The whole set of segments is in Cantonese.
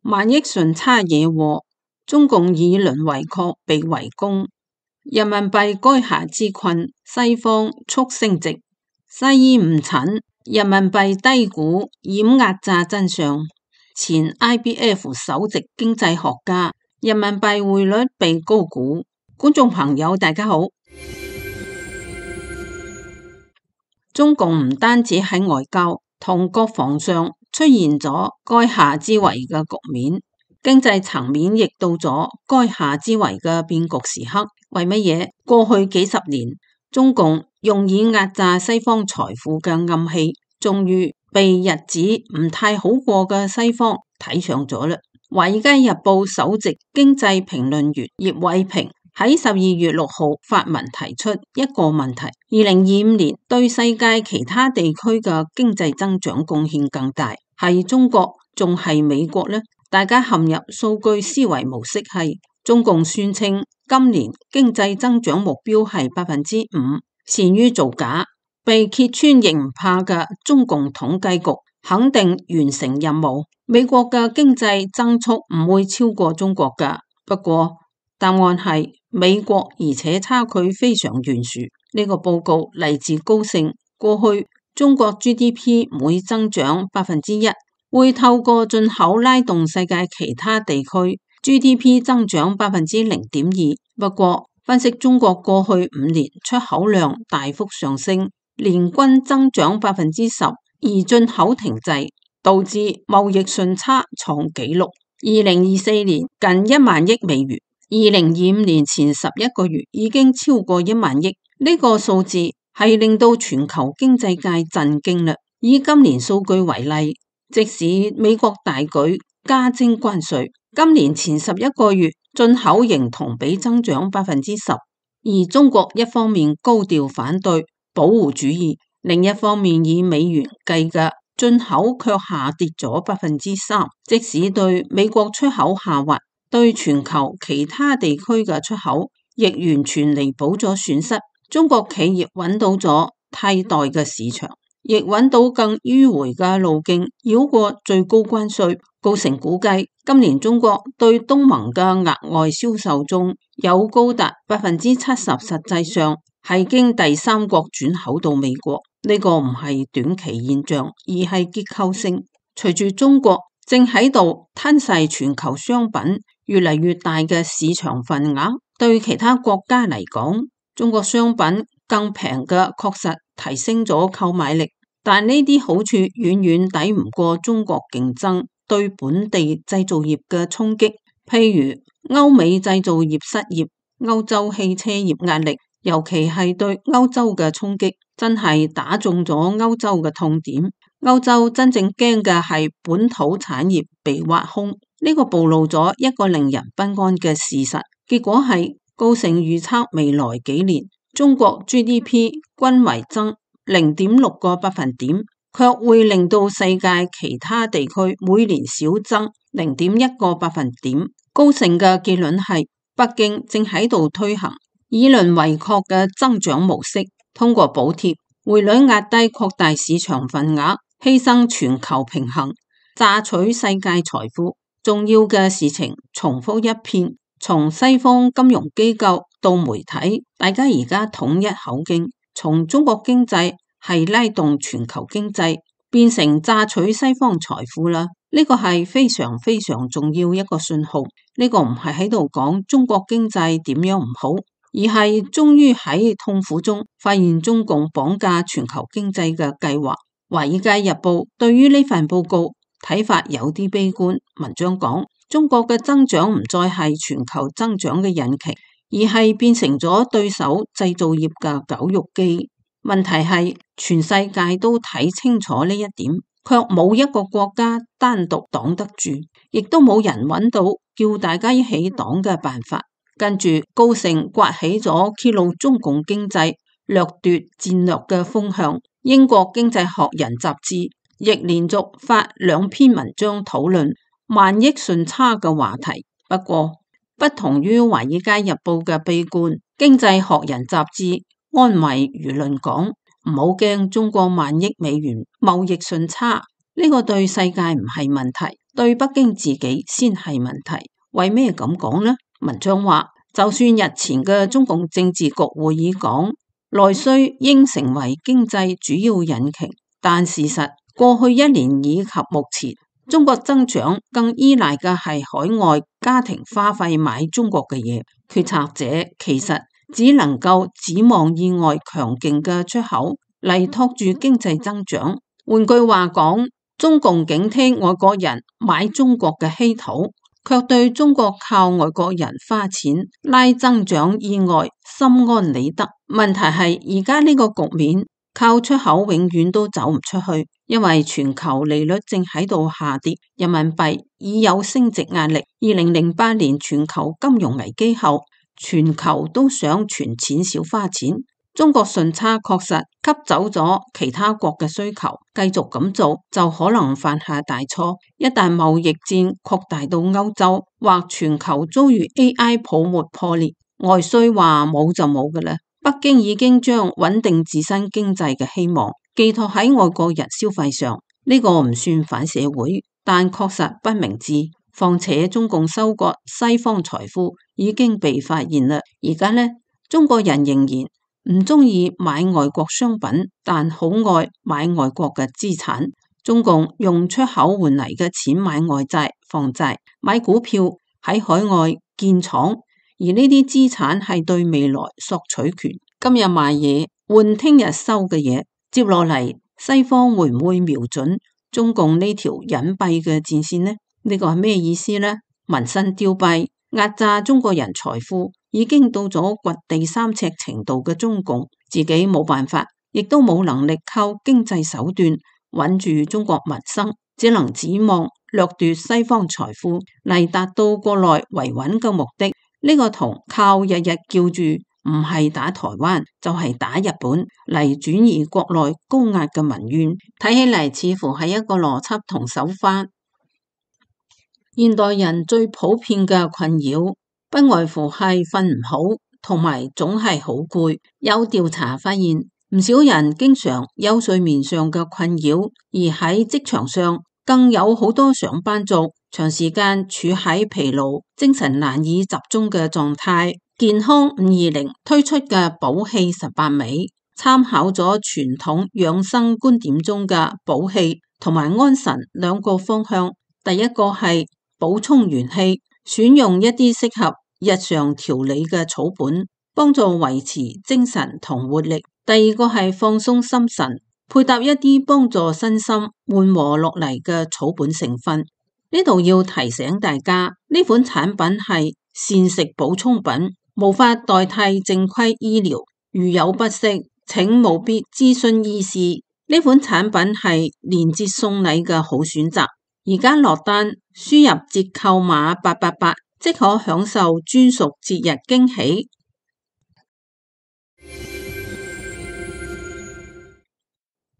萬億順差惹禍，中共以鄰為壑被圍攻，人民幣垓下之困，西方速升值，西醫誤診，人民幣低估掩壓榨真相。前 IBF 首席經濟學家，人民幣匯率被高估。觀眾朋友大家好。中共唔單止喺外交同國防上出現咗垓下之圍嘅局面，經濟層面亦到咗垓下之圍嘅變局時刻。為乜嘢？過去幾十年，中共用以壓榨西方財富嘅暗器，終於被日子唔太好過嘅西方睇上咗啦。《華爾街日報》首席經濟評論員葉偉平喺12月6號發文提出一個問題：2025年對世界其他地區嘅經濟增長貢獻更大，係中國仲係美國呢？大家陷入數據思維模式，係中共宣稱今年經濟增長目標係5%，善於造假，被揭穿亦唔怕嘅中共統計局肯定完成任務，美國嘅經濟增速唔會超過中國㗎。不過答案係美國，而且差距非常懸殊。呢個報告嚟自高盛，過去中國 GDP 每增長1%，會透過進口拉動世界其他地區 GDP 增長0.2%。不過分析中國過去5年出口量大幅上升，年均增長10%，而進口停滯，導致貿易順差創紀錄。2024年近1萬億美元。2025年前11個月已經超過1萬億，呢個數字係令到全球經濟界震驚啦。以今年數據為例，即使美國大舉加徵關稅，今年前11個月進口仍同比增長10%，而中國一方面高調反對保護主義，另一方面以美元計嘅進口卻下跌咗3%，即使對美國出口下滑，對全球其他地區嘅出口亦完全彌補咗損失。中國企業揾到咗替代嘅市場，亦揾到更迂回嘅路徑，繞過最高關稅。高盛估計今年中國對東盟嘅額外銷售中有高達70%，實際上係經第三國轉口到美國。呢個唔係短期現象，而係結構性。隨住中國正喺度吞噬全球商品越嚟越大嘅市場份額，對其他國家嚟講，中國商品更平嘅確實提升咗購買力，但呢啲好處遠遠抵唔過中國競爭對本地製造業嘅衝擊。譬如歐美製造業失業，歐洲汽車業壓力，尤其係對歐洲嘅衝擊，真係打中咗歐洲嘅痛點。歐洲真正驚嘅係本土產業被挖空，呢個暴露咗一個令人不安嘅事實。結果係高盛預測未來幾年中國 GDP 均為增0.6個百分點，卻會令到世界其他地區每年少增0.1個百分點。高盛嘅結論係北京正喺度推行以鄰為壑嘅增長模式，通過補貼、匯率壓低擴大市場份額，犧牲全球平衡，榨取世界財富。重要嘅事情重複一遍，從西方金融機構到媒體，大家而家統一口徑，從中國經濟係拉動全球經濟，變成榨取西方財富啦。呢個係非常非常重要一個信號。呢個唔係喺度講中國經濟點樣唔好，而係終於喺痛苦中發現中共綁架全球經濟嘅計劃。《華爾街日報》對於呢份報告睇法有啲悲觀，文章講中國嘅增長唔再係全球增長嘅引擎，而係變成咗對手製造業嘅絞肉機。問題係全世界都睇清楚呢一點，卻冇一個國家單獨擋得住，亦都冇人揾到叫大家一起擋嘅辦法。跟住高盛刮起咗揭露中共經濟掠奪戰略嘅風向。英國經濟學人雜誌亦連續發2篇文章討論萬億順差嘅話題。不過不同於華爾街日報嘅悲觀，經濟學人雜誌安慰輿論講，唔好驚中國1萬億美元貿易順差，呢個對世界唔係問題，對北京自己先係問題。為咩咁講呢？文章話，就算日前嘅中共政治局會議講內需應成為經濟主要引擎，但事實過去一年以及目前，中國增長更依賴嘅係海外家庭花費買中國嘅嘢。決策者其實只能夠指望意外強勁嘅出口嚟托住經濟增長。換句話講，中共警惕外國人買中國嘅稀土，卻對中國靠外國人花錢拉增長意外心安理得。問題係而家呢個局面靠出口永遠都走唔出去，因為全球利率正喺度下跌，人民幣已有升值壓力。2008年全球金融危機後，全球都想存錢少花錢。中國順差確實吸走咗其他國嘅需求，繼續咁做就可能犯下大錯。一旦貿易戰擴大到歐洲或全球遭遇 AI 泡沫破裂，外需話冇就冇㗎喇。北京已經將穩定自身經濟嘅希望寄託喺外國人消費上，呢個唔算反社會，但確實不明智。況且中共收割西方財富已經被發現啦，而家呢，中國人仍然唔中意買外國商品，但好愛買外國嘅資產。中共用出口換嚟嘅錢買外債、房債、買股票，喺海外建廠，而呢啲資產係對未來索取權。今日賣嘢換聽日收嘅嘢，接落嚟西方會唔會瞄準中共呢條隱蔽嘅戰線呢？呢個係咩意思呢？民生凋敝，壓榨中國人財富，已經到咗掘地三尺程度嘅中共，自己冇辦法，亦都冇能力靠經濟手段穩住中國民生，只能指望掠奪西方財富嚟達到國內維穩嘅目的。呢個同靠日日叫住唔係打台灣就係打日本嚟轉移國內高壓嘅民怨，睇起嚟似乎係一個邏輯同手法。現代人最普遍嘅困擾，不外乎係瞓唔好，同埋總係好攰。有調查發現，唔少人經常有睡眠上嘅困擾，而喺職場上更有好多上班族長時間處喺疲勞、精神難以集中嘅狀態。健康520推出嘅補氣18味，參考咗傳統養生觀點中嘅補氣同埋安神兩個方向。第一個係補充元氣，選用一啲適合日常調理嘅草本，幫助維持精神同活力。第二個係放鬆心神，配搭一啲幫助身心緩和落嚟嘅草本成分。呢度要提醒大家，呢款產品係膳食補充品，無法代替正規醫療。如有不適，請務必諮詢醫師。呢款產品係連節送禮嘅好選擇。而家落單，輸入折扣碼888，即可享受專屬節日驚喜。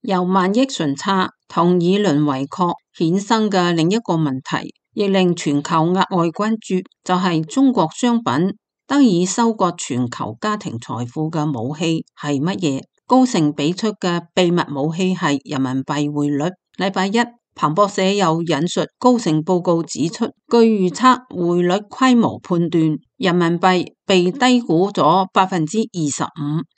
由萬億順差同以鄰為壑衍生嘅另一個問題，亦令全球額外關注，就係中國商品得以收割全球家庭財富嘅武器係乜嘢？高盛俾出嘅秘密武器係人民幣匯率。禮拜一，彭博社又引述高盛報告指出，據預測匯率規模判斷，人民幣被低估咗25%。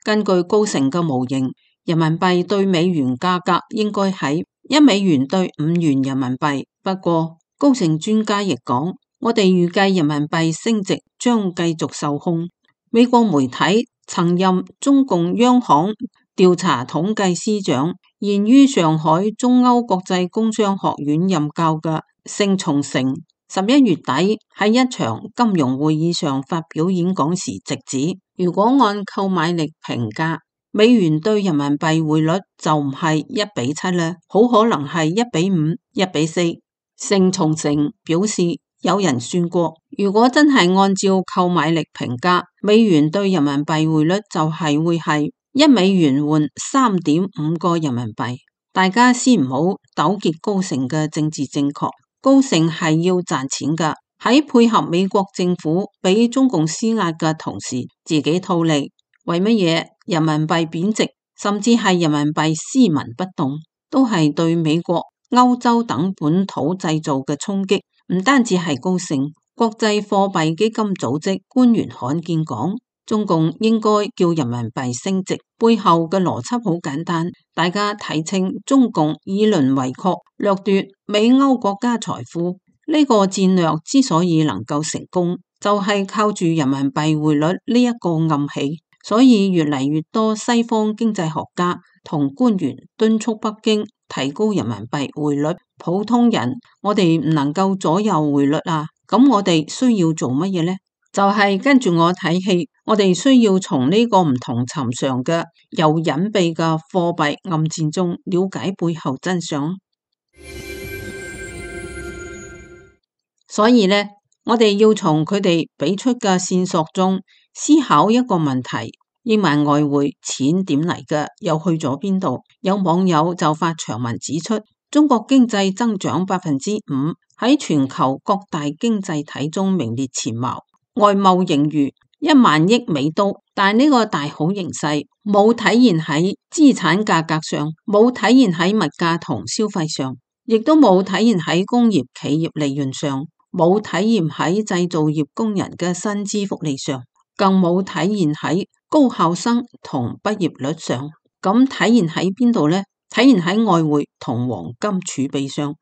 根據高盛嘅模型，人民幣對美元價格應該喺1美元對5元人民幣。不過，高盛專家亦講，我哋預計人民幣升值將繼續受控。美國媒體曾任中共央行調查統計司長，現於上海中歐國際工商學院任教嘅盛松成11月底喺一場金融會議上發表演講時直指，如果按購買力評價，美元對人民幣匯率就唔係1:7啦，好可能係1:5、1:4。盛松成表示，有人算過，如果真係按照購買力評價，美元對人民幣匯率就係會係1美元換3.5個人民幣。大家先唔好糾結高盛嘅政治正確，高盛係要賺錢噶，喺配合美國政府俾中共施壓嘅同時，自己套利。為乜嘢人民幣貶值，甚至係人民幣斯文不動，都係對美國歐洲等本土製造嘅衝擊，唔單止係高盛、國際貨幣基金組織官員罕見講，中共應該叫人民幣升值，背後嘅邏輯好簡單，大家睇清中共以鄰為壑，掠奪美歐國家財富，呢個戰略之所以能夠成功，就係靠住人民幣匯率呢一個暗器。所以越嚟越多西方經濟學家同官員敦促北京提高人民幣匯率。普通人我哋唔能夠左右匯率啊，咁我哋需要做乜嘢呢？就係跟住我睇戲，我哋需要從呢個唔同尋常嘅又隱秘嘅貨幣暗戰中了解背後真相。所以呢，我哋要從佢哋俾出嘅線索中思考一個問題：億萬外匯錢點嚟嘅，又去咗邊度？有網友就發長文指出，中國經濟增長5%，喺全球各大經濟體中名列前茅，外貿盈餘$10,000億，但呢個大好形勢冇體現喺資產價格上，冇體現喺物價同消費上，亦都冇體現喺工業企業利潤上，冇體現喺製造業工人嘅薪資福利上，更冇體現喺高校生同畢業率上。咁體現喺邊度呢？體現喺外匯同黃金儲備上，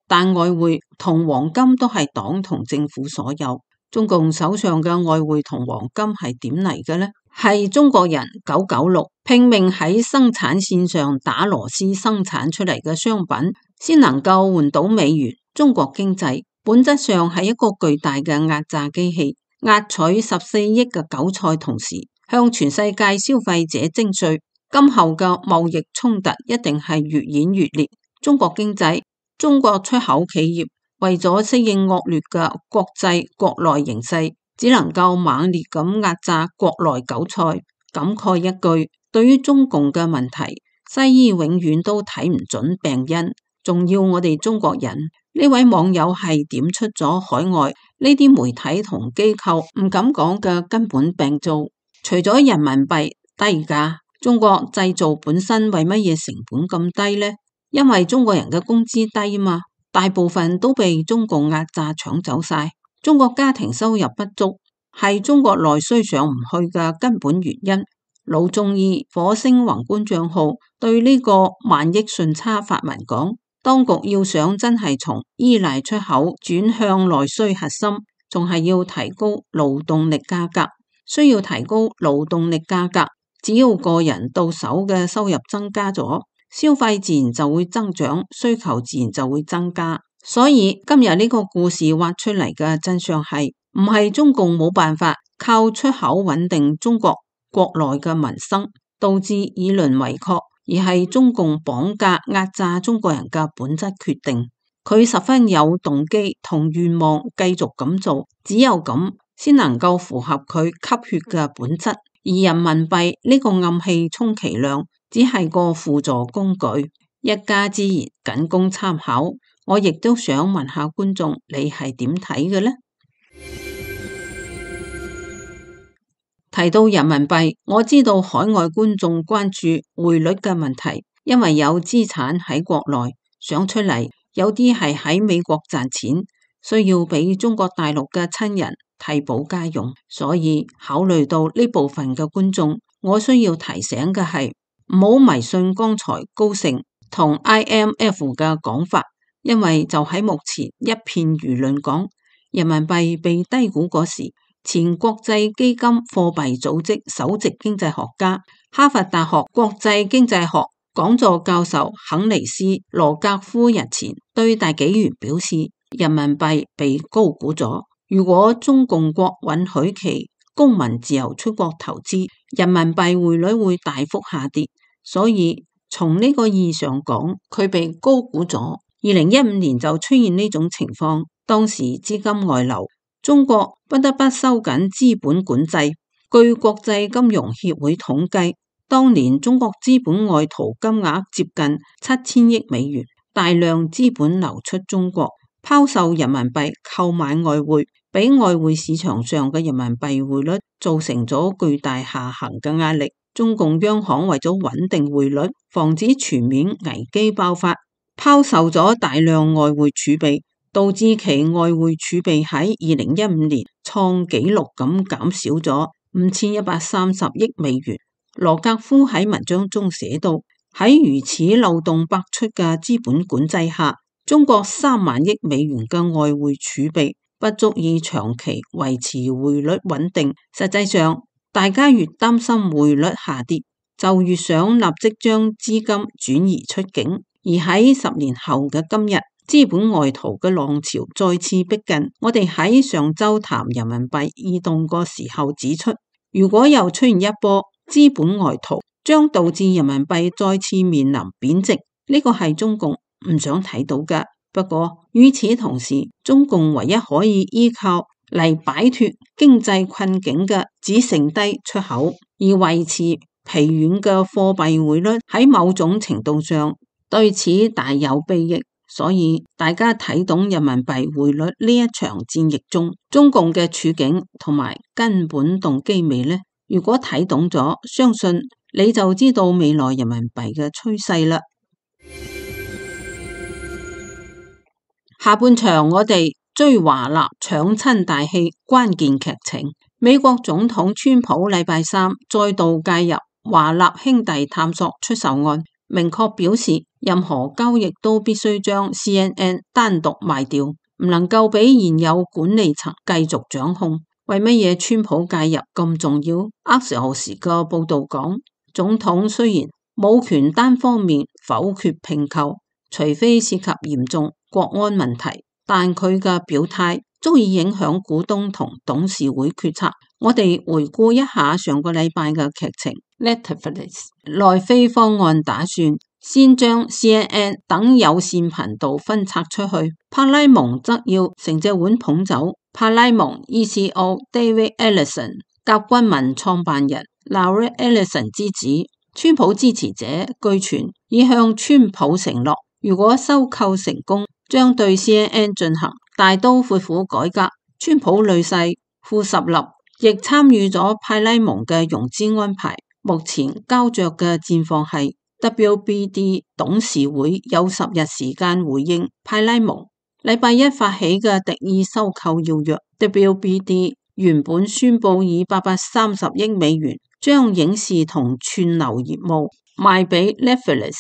但外匯同黃金都係黨同政府所有。中共手上嘅外匯同黃金係點嚟嘅呢？係中國人996拼命喺生產線上打螺絲生產出嚟嘅商品，先能夠換到美元。中國經濟本質上係一個巨大嘅壓榨機器，壓取14億嘅韭菜，同時向全世界消費者徵稅。今後嘅貿易衝突一定係越演越烈。中國經濟、中國出口企業為咗適應惡劣嘅國際國內形勢，只能夠猛烈咁壓榨國內韭菜。感慨一句，對於中共嘅問題，西醫永遠都睇唔準病因，仲要我哋中國人。呢位網友係點出咗海外呢啲媒體同機構唔敢講嘅根本病灶。除咗人民幣低價，中國製造本身為乜嘢成本咁低呢？因為中國人嘅工資低嘛，大部分都被中共壓榨搶走晒。中國家庭收入不足係中國內需上唔去嘅根本原因。老中醫火星宏觀賬號對呢個萬億順差發文講，當局要想真係從依賴出口轉向內需核心，仲係要提高勞動力價格。需要提高勞動力價格，只要個人到手嘅收入增加咗，消費自然就會增長，需求自然就會增加。所以今日呢個故事挖出嚟嘅真相係，唔係中共冇辦法靠出口穩定中國國內嘅民生，導致以鄰為壑，而係中共綁架壓榨中國人嘅本質決定。佢十分有動機同願望繼續咁做，只有咁先能夠符合佢吸血嘅本質。而人民幣呢個暗器充其量只係個輔助工具，一家之言僅供參考。我亦都想問下觀眾，你係點睇嘅呢？提到人民幣，我知道海外觀眾關注匯率嘅問題，因為有資產喺國內想出嚟，有啲係喺美國賺錢，需要俾中國大陸嘅親人替補家用，所以考慮到呢部分嘅觀眾，我需要提醒嘅係唔好迷信剛才高盛同 IMF 嘅講法，因為就喺目前一片輿論講人民幣被低估嗰時，前國際基金貨幣組織首席經濟學家、哈佛大學國際經濟學講座教授肯尼斯·羅格夫日前對大紀元表示，人民幣被高估咗。如果中共國允許其公民自由出國投資，人民幣匯率會大幅下跌。所以從呢個意義上講，佢被高估咗。2015年就出現呢種情況，當時資金外流，中國不得不收緊資本管制。據國際金融協會統計，當年中國資本外逃金額接近$7000億，大量資本流出中國，拋售人民幣購買外匯，俾外匯市場上嘅人民幣匯率造成咗巨大下行嘅壓力。中共央行為咗穩定匯率，防止全面危機爆發，拋售咗大量外匯儲備，導致其外匯儲備喺2015年創紀錄咁減少咗5130億美元。羅格夫喺文章中寫到，喺如此漏洞百出嘅資本管制下，中國3萬億美元嘅外匯儲備不足以長期維持匯率穩定。實際上，大家越擔心匯率下跌，就越想立即將資金轉移出境。而喺10年後嘅今日，資本外逃嘅浪潮再次逼近。我哋喺上週談人民幣異動個時候指出，如果又出現一波資本外逃，將導致人民幣再次面臨貶值。呢個係中共唔想睇到嘅。不過與此同時，中共唯一可以依靠嚟擺脫經濟困境嘅只剩低出口，而維持疲軟嘅貨幣匯率喺某種程度上對此大有裨益。所以大家睇懂人民幣匯率呢一場戰役中中共嘅處境同埋根本動機未呢？如果睇懂咗，相信你就知道未來人民幣嘅趨勢啦。下半場我哋追華納搶親大戲關鍵劇情。美國總統川普禮拜三再度介入華納兄弟探索出售案，明確表示任何交易都必須將 CNN 單獨賣掉，唔能夠俾現有管理層繼續掌控。為乜嘢川普介入咁重要？Axios嘅報道講，總統雖然冇權單方面否決併購，除非涉及嚴重國安問題，但佢嘅表態足以影響股東同董事會決策。我哋回顧一下上個禮拜嘅劇情。Netflix 奈飛方案打算先將 CNN 等有線頻道分拆出去，派拉蒙則要成隻碗捧走。派拉蒙 ECO David Ellison 甲骨文創辦人 Larry Ellison 之子，川普支持者據傳已向川普承諾，如果收購成功，將對 CNN 進行大刀闊斧改革。川普女婿庫什納亦參與咗派拉蒙嘅融資安排。目前膠着嘅戰況係 WBD 董事會有10日時間回應派拉蒙禮拜一發起嘅敵意收購要約。WBD 原本宣布以830億美元將影視同串流業務賣俾 Netflix，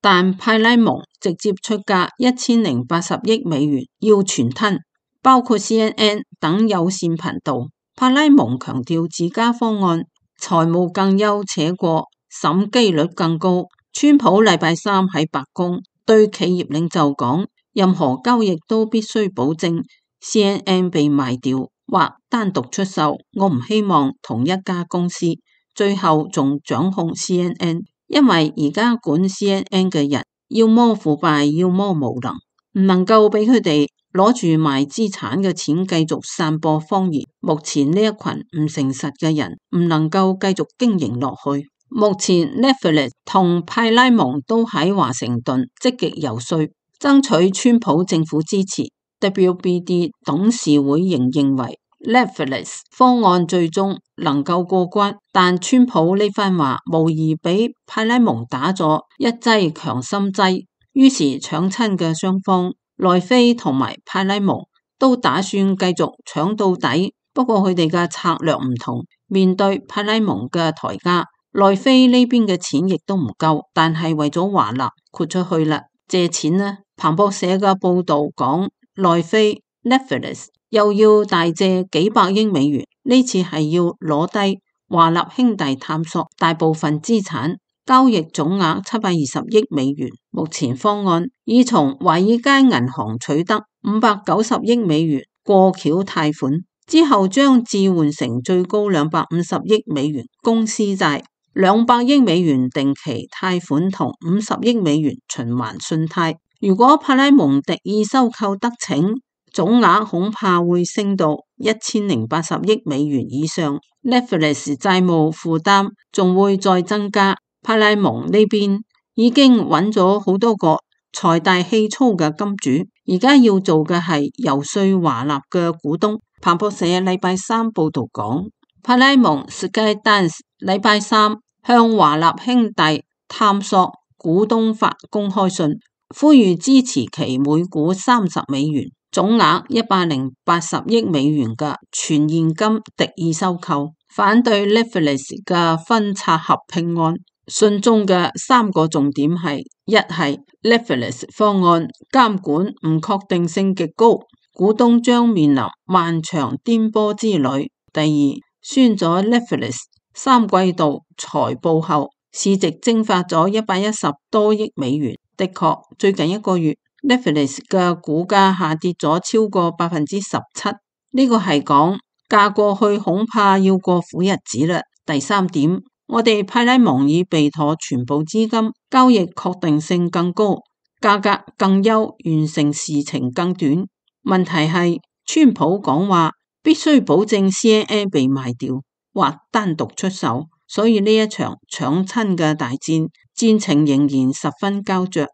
但派拉蒙直接出價1080億美元要全吞，包括 CNN 等有線頻道。派拉蒙強調自家方案財務更優且過，審機率更高。川普禮拜三喺白宮對企業領袖講，任何交易都必須保證 CNN 被賣掉或單獨出售。我唔希望同一家公司最後仲掌控 CNN， 因為而家管 CNN 嘅人要麼腐敗，要麼無能，唔能夠俾佢哋攞住賣資產嘅錢繼續散播謊言。目前呢一群唔誠實嘅人唔能夠繼續經營落去。目前 Netflix 同派拉蒙都喺華盛頓積極游說，爭取川普政府支持。WBD 董事會仍認為 Netflix 方案最終能夠過關，但川普呢番話無疑俾派拉蒙打咗一劑強心劑。於是搶親嘅雙方奈飛同埋派拉蒙都打算繼續搶到底，不過佢哋嘅策略唔同。面對派拉蒙嘅抬價，奈飛呢邊嘅錢亦都唔夠，但係為咗華納豁出去啦，借錢呢。彭博社嘅報道講，奈飛 Netflix 又要大借幾百億美元，呢次係要攞低華納兄弟探索大部分資產。交易總額720億美元。目前方案已從華爾街銀行取得590億美元過橋貸款，之後將置換成最高250億美元公司債、200億美元定期貸款同50億美元循環信貸。如果派拉蒙敵意收購得逞，總額恐怕會升到1080億美元以上。Netflix 債務負擔仲會再增加。派拉蒙呢邊已經揾咗好多個財大氣粗嘅金主，而家要做嘅係游說華納嘅股東。彭博社禮拜三報道講，派拉蒙 Skydance 禮拜三向華納兄弟探索股東發公開信，呼籲支持其每股$30，總額180億美元嘅全現金敵意收購，反對 Netflix 嘅分拆合併案。信中嘅3個重點係：一係 Netflix 方案監管唔確定性極高，股東將面臨漫長顛簸之旅；第二，宣咗 Netflix 3季度財報後，市值蒸發咗110多億美元。的確，最近1個月 Netflix 嘅股價下跌咗超過17%，呢個係講嫁過去恐怕要過苦日子啦。第三點，我哋派拉蒙已備妥全部資金，交易確定性更高，價格更優，完成事情更短。問題係川普講話必須保證 CNN 被賣掉或單獨出手，所以呢一場搶親嘅大戰，戰情仍然十分膠着。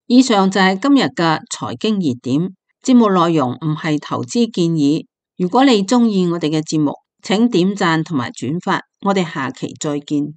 以上就係今日嘅財經熱點，節目內容唔係投資建議。如果你鍾意我哋嘅節目，請點讚同埋轉發，我哋下期再見。